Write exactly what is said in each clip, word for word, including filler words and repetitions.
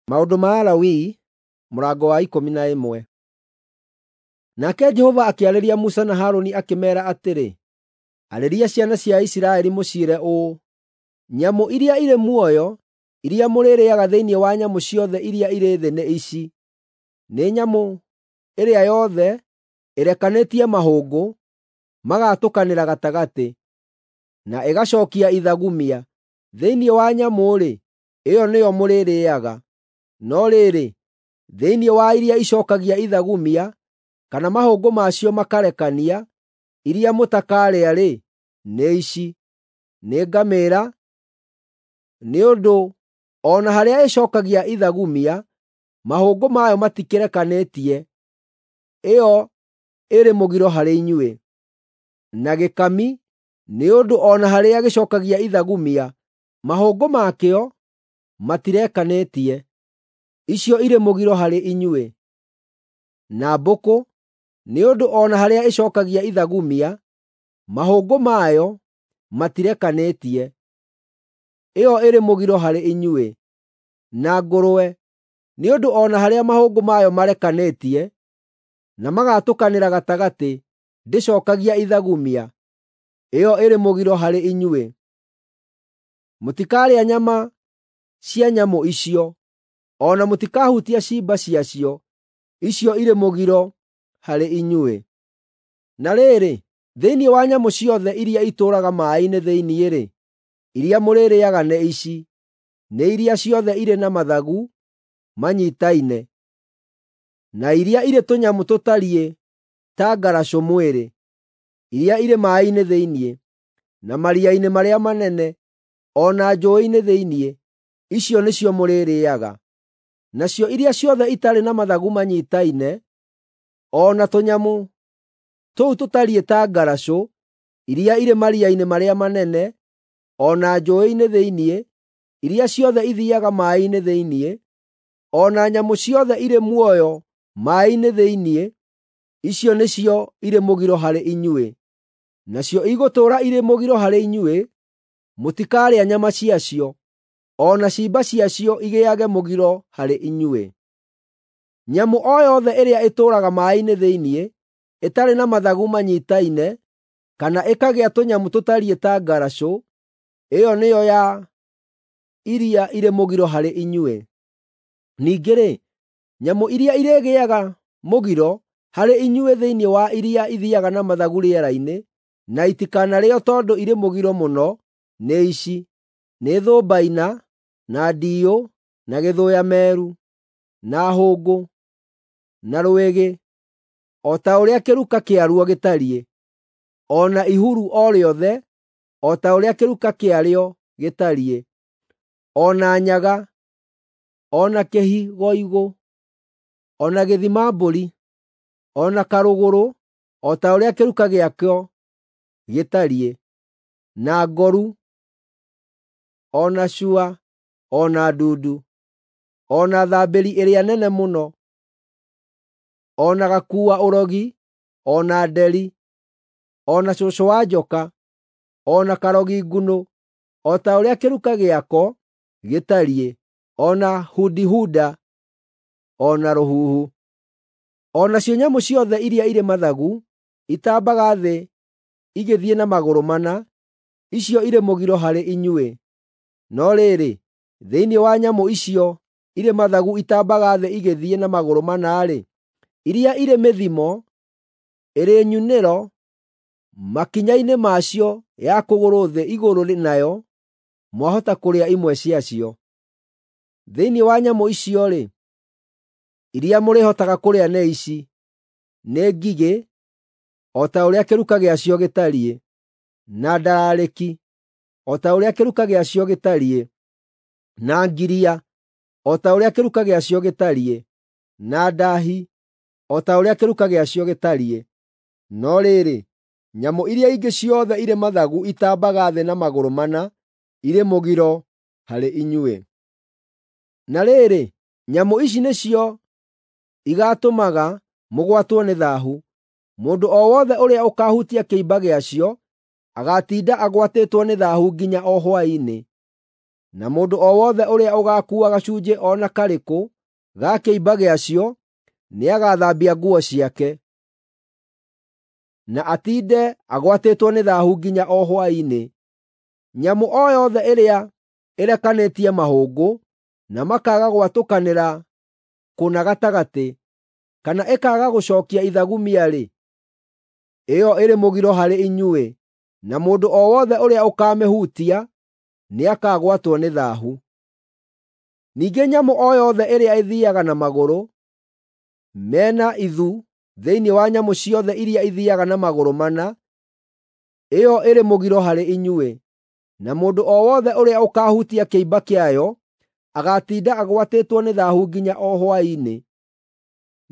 Maũndũ ma Alawii mũrango wa ikũmi na ĩmwe. Nake Jehova akĩarĩria Musa na Harũni akĩmeera atĩrĩ, Arĩria ciana cia Isiraeli mũciĩre ũũ, Nyamũ iria irĩ muoyo iria mũrĩrĩĩaga thĩinĩ wa nyamũ ciothe iria irĩ thĩ nĩ ici: Nĩ nyamũ ĩrĩa yothe ĩrekanĩtie mahũngũ magatũkanĩra gatagatĩ, na ĩgacookia ithagumia. Thĩinĩ wa nyamũ-rĩ, ĩyo nĩyo mũrĩrĩĩaga. No rĩrĩ, thĩinĩ wa iria icookagia ithagumia, kana mahũngũ ma cio makarekania, iria mũtakarĩa-rĩ, nĩ ici: nĩ ngamĩĩra, nĩ ũndũ o na harĩa ĩcookagia ithagumia, mahũngũ mayo matikĩrekanĩtie, ĩyo ĩrĩ mũgiro harĩ inyuĩ; na gĩkami, nĩ ũndũ o na harĩa gĩcookagia ithagumia, mahũngũ makĩo matirekanĩtie, icio irĩ mũgiro harĩ inyuĩ; na mbũkũ, nĩ ũndũ o na harĩa ĩcookagia ithagumia, mahũngũ mayo matirekanĩtie, ĩyo ĩrĩ mũgiro harĩ inyuĩ; na ngũrwe, nĩ ũndũ o na harĩa mahũngũ mayo marekanĩtie na magatũkanĩra gatagatĩ, ndĩcookagia ithagumia, ĩyo ĩrĩ mũgiro harĩ inyuĩ. Mũtikarĩa nyama cia nyamũ icio, o na mũtikahutie ciimba ciacio, icio irĩ mũgiro harĩ inyuĩ. Na rĩrĩ, thĩinĩ wa nyamũ ciothe iria itũũraga maaĩ-inĩ thĩinĩ-rĩ, iria mũrĩrĩĩaga nĩ ici: nĩ iria ciothe irĩ na mathagu manyiitaine, na iria irĩ tũnyamũ tũtariĩ ta ngaracũ mwĩrĩ, iria irĩ maaĩ-inĩ thĩinĩ, na maria-inĩ marĩa manene, o na njũũĩ-inĩ thĩinĩ, icio nĩcio mũrĩrĩĩaga. Nacio iria ciothe itarĩ na mathagu manyiitaine, o na tũnyamũ tũu tũtariĩ ta ngaracũ, iria irĩ maria-inĩ marĩa manene, o na njũũĩ-inĩ thĩinĩ, iria ciothe ithiiaga maaĩ-inĩ thĩinĩ, o na nyamũ ciothe irĩ muoyo maaĩ-inĩ thĩinĩ, icio nĩcio irĩ mũgiro harĩ inyuĩ. Nacio igũtũũra irĩ mũgiro harĩ inyuĩ; mũtikarĩa nyama ciacio, o na ciimba ciacio igĩage mũgiro harĩ inyuĩ. Nyamũ o yothe ĩrĩa ĩtũũraga maaĩ-inĩ thĩinĩ, ĩtarĩ na mathagu manyiitaine, kana ĩkagĩa tũnyamũ tũtariĩ ta ngaracũ, ĩyo nĩyo ya iria irĩ mũgiro harĩ inyuĩ. Ningĩ-rĩ, nyamũ iria irĩgĩaga mũgiro harĩ inyuĩ thĩinĩ wa iria ithiiaga na mathagu rĩera-inĩ, na itikanarĩĩo tondũ irĩ mũgiro mũno, nĩ ici: nĩ thũmbaina, na ndiiyũ, na gĩthũya-meru, na hũngũ, na rwĩgĩ, o ta ũrĩa kĩruka kĩaruo gĩtariĩ, o na ihuru o rĩothe o ta ũrĩa kĩruka kĩarĩo gĩtariĩ, o na nyaga, o na kĩhigoigũ, o na gĩthima-mbũri, o na karũgũrũ o ta ũrĩa kĩruka gĩakĩo gĩtariĩ, na ngoru, o na cua, o na ndundu, o na thambĩri ĩrĩa nene mũno, o na gakuua-ũrogi, o na nderi, o na cũcũ wa njoka, o na karogi ngunũ, o ta ũrĩa kĩruka gĩako gĩtariĩ, o na hundihuda, o na rũhuhu. O nacio nyamũ ciothe iria irĩ mathagu itambaga thĩ igĩthiĩ na magũrũ mana, icio irĩ mũgiro harĩ inyuĩ. No rĩrĩ, thĩinĩ wa nyamũ icio irĩ mathagu itambaga thĩ igĩthiĩ na magũrũ mana-rĩ, iria irĩ mĩthimo, ĩrĩ nyunĩro makinya-inĩ macio ya kũgũrũ thĩ igũrũ nayo, mwahota kũrĩa imwe ciacio. Thĩinĩ wa nyamũ icio-rĩ, iria mũrĩhotaga kũrĩa nĩ ici: nĩ ngigĩ, o ta ũrĩa kĩruka gĩacio gĩtariĩ, na ndararĩki, o ta ũrĩa kĩruka gĩacio gĩtariĩ, na ngiria, o ta ũrĩa kĩruka gĩacio gĩtariĩ, na ndaahi, o ta ũrĩa kĩruka gĩacio gĩtariĩ. No rĩrĩ, nyamũ iria ingĩ ciothe irĩ mathagu itambaga thĩ na magũrũ mana, irĩ mũgiro harĩ inyuĩ. Na rĩrĩ, nyamũ ici nĩcio igaatũmaga mũgwatwo nĩ thaahu: Mũndũ o wothe ũrĩa ũkaahutia kĩimba gĩacio agaatinda agwatĩtwo nĩ thaahu nginya o hwaĩ-inĩ. Na mũndũ o wothe ũrĩa ũgaakuua gacunjĩ o na karĩkũ ga kĩimba gĩacio nĩagathambia nguo ciake, na atiinde agwatĩtwo nĩ thaahu nginya o hwaĩ-inĩ. Nyamũ o yothe ĩrĩa ĩrekanĩtie mahũngũ na makaaga gwatũkanĩra kũna gatagatĩ, kana ĩkaaga gũcookia ithagumia-rĩ, ĩyo ĩrĩ mũgiro harĩ inyuĩ, na mũndũ o wothe ũrĩa ũkaamĩhutia nĩakagwatwo nĩ thaahu. Ningĩ nyamũ o yothe ĩrĩa ĩthiiaga na magũrũ mena ithu thĩinĩ wa nyamũ ciothe iria ithiiaga na magũrũ mana, ĩyo ĩrĩ mũgiro harĩ inyuĩ, na mũndũ o wothe ũrĩa ũkaahutia kĩimba kĩayo agaatinda agwatĩtwo nĩ thaahu nginya o hwaĩ-inĩ.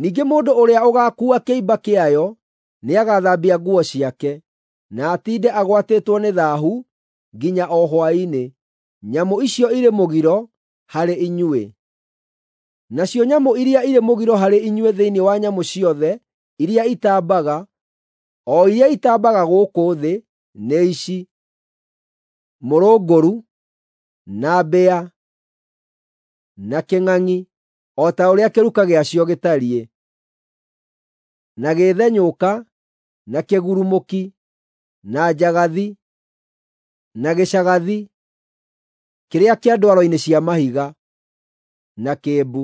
Ningĩ mũndũ ũrĩa ũgaakuua kĩimba kĩayo nĩagathambia nguo ciake, na atiinde agwatĩtwo nĩ thaahu nginya o hwaĩ-inĩ. Nyamũ icio irĩ mũgiro harĩ inyuĩ. Nacio nyamũ iria irĩ mũgiro harĩ inyuĩ thĩinĩ wa nyamũ ciothe iria itambaga, o iria itambaga gũkũ thĩ, nĩ ici: mũrũngũru, na mbĩa, na kĩng'ang'i, o ta ũrĩa kĩruka gĩacio gĩtariĩ, na gĩthenyũka, na kĩgurumũki, na njagathi, na gĩcagathi kĩrĩa kĩa ndwaro-inĩ cia mahiga, na kĩmbu.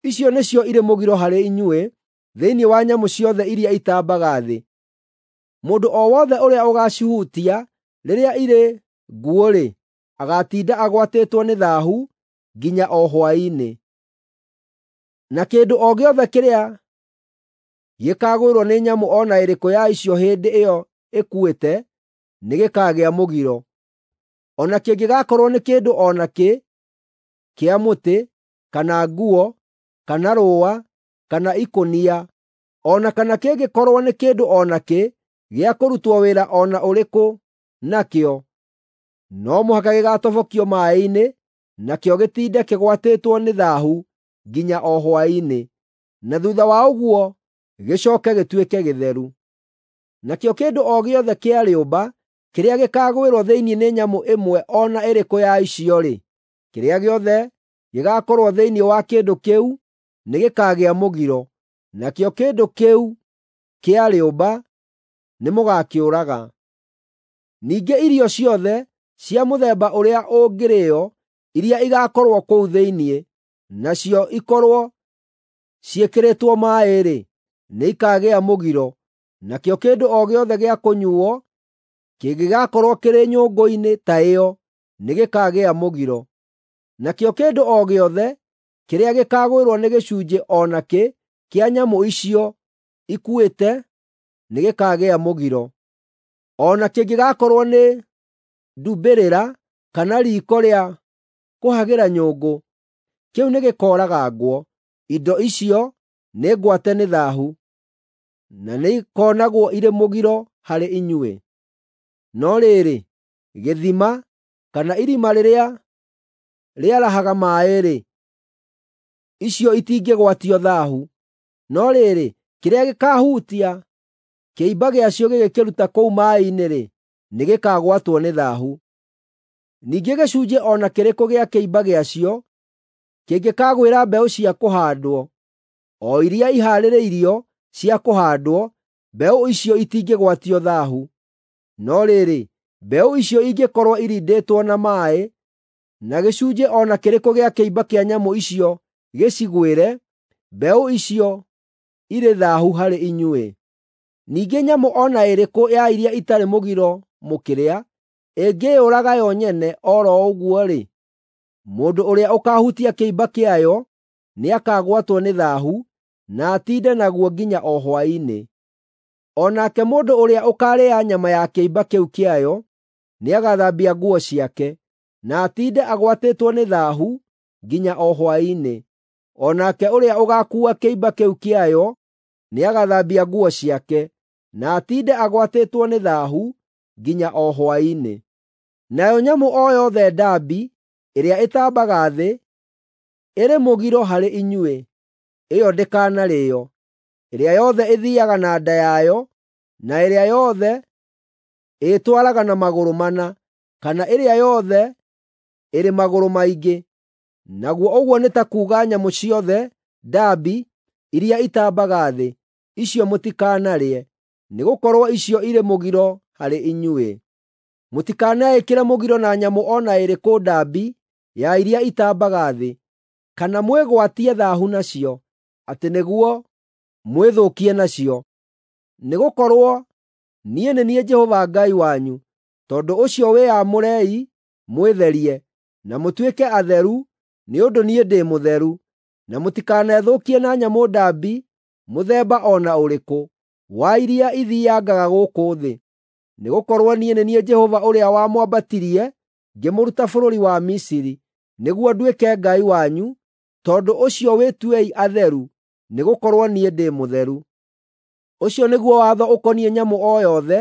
Icio nĩcio irĩ mũgiro harĩ inyuĩ thĩinĩ wa nyamũ ciothe iria itambaga thĩ. Mũndũ o wothe ũrĩa ũgaacihutia rĩrĩa irĩ nguũ-rĩ, agaatinda agwatĩtwo nĩ thaahu nginya o hwaĩ-inĩ. Na kĩndũ o gĩothe kĩrĩa gĩkaagwĩrwo nĩ nyamũ o na ĩrĩkũ ya icio hĩndĩ ĩyo ĩkuĩte nĩgĩkagĩa mũgiro, o na kĩngĩgakorwo nĩ kĩndũ o nakĩ kĩa mũtĩ, kana nguo, kana rũũa, kana ikũnia, o na kana kĩngĩkorwo nĩ kĩndũ o nakĩ gĩa kũrutwo wĩra o na ũrĩkũ nakĩo, no mũhaka gĩgaatobokio maaĩ-inĩ, nakĩo gĩtinde kĩgwatĩtwo nĩ thaahu nginya o hwaĩ-inĩ, na thuutha wa ũguo gĩcooke gĩtuĩke gĩtheru. Nakĩo kĩndũ o gĩothe kĩa rĩũmba kĩrĩa gĩkaagwĩrwo thĩinĩ nĩ nyamũ ĩmwe o na ĩrĩkũ ya icio-rĩ, kĩrĩa gĩothe gĩgaakorwo thĩinĩ wa kĩndũ kĩu nĩgĩkagĩa mũgiro, nakĩo kĩndũ kĩu kĩa rĩũmba nĩmũgakĩũraga. Ningĩ irio ciothe cia mũthemba ũrĩa ũngĩrĩĩo iria igaakorwo kũu thĩinĩ, nacio ikorwo ciĩkĩrĩtwo maaĩ-rĩ, nĩikagĩa mũgiro, nakĩo kĩndũ o gĩothe gĩa kũnyuuo kĩngĩgakorwo kĩrĩ nyũngũ-inĩ ta ĩyo nĩgĩkagĩa mũgiro. Nakĩo kĩndũ o gĩothe kĩrĩa gĩkaagwĩrwo nĩ gĩcunjĩ o nakĩ kĩa nyamũ icio ikuĩte nĩgĩkagĩa mũgiro, o na kĩngĩgakorwo nĩ ndumbĩrĩra kana riiko rĩa kũhagĩra nyũngũ, kĩu nĩgĩkooragangwo. Indo icio nĩ ngwate nĩ thaahu, na nĩikonagwo irĩ mũgiro harĩ inyuĩ. No rĩrĩ, gĩthima kana irima rĩrĩa rĩarahaga maaĩ-rĩ, icio itingĩgwatio thaahu. No rĩrĩ, kĩrĩa gĩkaahutia kĩimba gĩacio gĩgĩkĩruta kũu maaĩ-inĩ-rĩ, nĩgĩkagwatwo nĩ thaahu. Ningĩ gĩcunjĩ o na kĩrĩkũ gĩa kĩimba gĩacio kĩngĩkaagwĩra mbeũ cia kũhaandwo, o iria ihaarĩirio cia kũhaandwo, mbeũ icio itingĩgwatio thaahu. No rĩrĩ, mbeũ icio ingĩkorwo irindĩtwo na maaĩ, na gĩcunjĩ o na kĩrĩkũ gĩa kĩimba kĩa nyamũ icio gĩcigwĩre, mbeũ icio irĩ thaahu harĩ inyuĩ. Ningĩ nyamũ o na ĩrĩkũ ya iria itarĩ mũgiro mũkĩrĩa, ĩngĩĩyũraga yo nyene o ro ũguo-rĩ, mũndũ ũrĩa ũkaahutia kĩimba kĩayo nĩakagwatwo nĩ thaahu na atiinde naguo nginya o hwaĩ-inĩ. O nake mũndũ ũrĩa ũkaarĩa nyama ya kĩimba kĩu kĩayo nĩagathambia nguo ciake, na atiinde agwatĩtwo nĩ thaahu nginya o hwaĩ-inĩ. O nake ũrĩa ũgaakuua kĩimba kĩu kĩayo nĩagathambia nguo ciake, na atiinde agwatĩtwo nĩ thaahu nginya o hwaĩ-inĩ. Nayo nyamũ o yothe ndambi ĩrĩa ĩtambaga thĩ ĩrĩ mũgiro harĩ inyuĩ, ĩyo ndĩkanarĩĩo. Ĩrĩa yothe ĩthiiaga na nda yayo, na ĩrĩa yothe ĩĩtwaraga na magũrũ mana, kana ĩrĩa yothe ĩrĩ magũrũ maingĩ, naguo ũguo nĩ ta kuuga nyamũ ciothe ndambi iria itambaga thĩ, icio mũtikanarĩe, nĩgũkorwo icio irĩ mũgiro harĩ inyuĩ. Mũtikaneĩkĩre mũgiro na nyamũ o na ĩrĩkũ ndambi ya iria itambaga thĩ, kana mwĩgwatie thaahu nacio, atĩ nĩguo mwĩthũkie nacio. Nĩgũkorwo niĩ nĩ niĩ Jehova Ngai wanyu, tondũ ũcio wĩyamũrei mwĩtherie, na mũtuĩke atheru, nĩ ũndũ niĩ ndĩ mũtheru. Na mũtikanethũkie na nyamũ ndambi mũthemba o na ũrĩkũ wa iria ithiiangaga gũkũ thĩ. Nĩgũkorwo niĩ nĩ niĩ Jehova ũrĩa wamwambatirie ngĩmũruta bũrũri wa Misiri, nĩguo nduĩke Ngai wanyu, tondũ ũcio wĩtuei atheru, nĩgũkorwo niĩ ndĩ mũtheru. Ũcio nĩguo watho ũkoniĩ nyamũ o yothe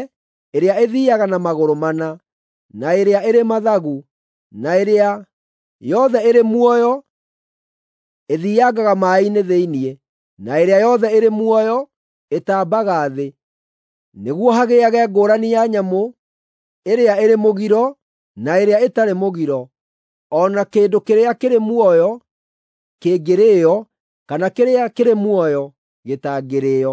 ĩrĩa ĩthiiaga na magũrũ mana, na ĩrĩa ĩrĩ mathagu, na ĩrĩa yothe ĩrĩ muoyo ĩthiiangaga maaĩ-inĩ thĩinĩ, na ĩrĩa yothe ĩrĩ muoyo ĩtambaga thĩ, nĩguo hagĩage ngũũrani ya nyamũ ĩrĩa ĩrĩ mũgiro na ĩrĩa ĩtarĩ mũgiro, o na kĩndũ kĩrĩa kĩrĩ muoyo kĩngĩrĩĩo kana kĩrĩa kĩrĩ muoyo gĩtangĩrĩĩo.